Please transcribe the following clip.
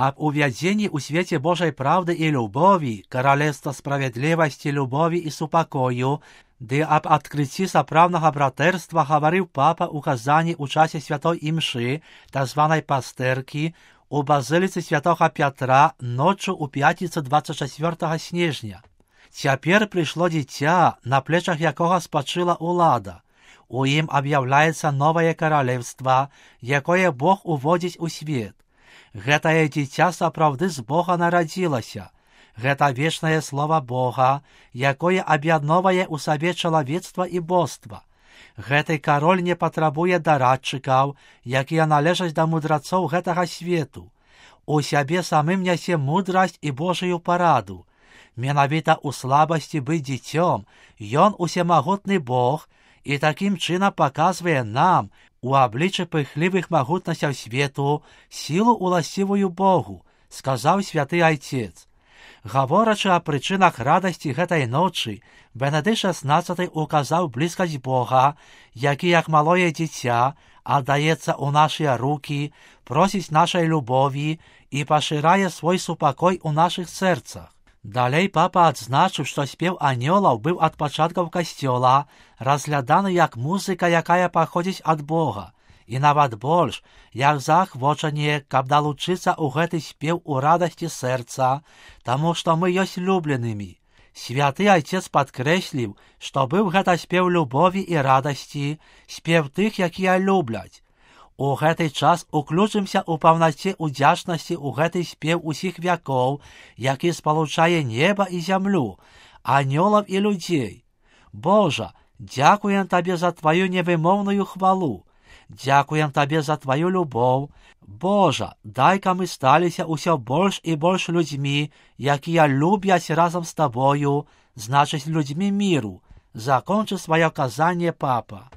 об увядзенні ў свеце Божай правды і любові, каралевства справядлівасці, любові і супакою, ды аб адкрыцці сапраўднага братэрства гаварыў папа ў казанні ў часе святой імшы, так званай пастэркі, у базыліцы святога Пятра ноччу ў пятніцу 24 снежня. Цяпер прыйшло дзіця, на плечах якога спачыла ўлада. У ім аб'яўляецца новае каралевства, якое Бог уводзіць у свет. Гэтае дзіця сапраўды з Бога нарадзілася. Гэта вечнае слова Бога, якое аб'ядноўвае ў сабе чалавецтва і боства. Гэты кароль не патрабуе дарадчыкаў, якія належаць да мудрацоў гэтага свету. У сябе самым нясе мудрасць і Божую параду. Менавіта ў слабасці быць дзіцём, ён усемагутны Бог, і такім чынам паказвае нам, у абліччы пыхлівых магутнасцяў свету, сілу уласцівую Богу, сказаў святы Айцец. Гаворачы о прычынах радасці гэтай ночы, Бенедыкт XVI указаў блізкасць Бога, які, як малое дзіця, аддаецца ў нашыя рукі, просіць нашай любові і пашырае свой супакой у нашых сэрцах. Далей папа адзначыў, што спеў анёлаў быў ад пачаткаў касцёла разгляданы як музыка, якая паходзіць ад Бога, і нават больш, як заахвочанне, каб далучыцца ў гэты спеў у радасці сэрца, таму што мы ёсць любленымі. Святы Айцец падкрэсліў, што быў гэта спеў любові і радасці, спеў тых, якія любляць. У гэты час уключымся ў паўнаце удзячнасці ў гэты спеў усіх вякоў, які спалучае неба і зямлю, анёлаў і людзей. Божа, дзякуем Табе за Тваю невымоўную хвалу. Дзякуем Табе за Тваю любоў. Божа, дай-ка мы сталіся ўсё больш і больш людзьмі, якія любяць разам з Табою, значыць людзьмі міру. Закончы сваё казанне папа.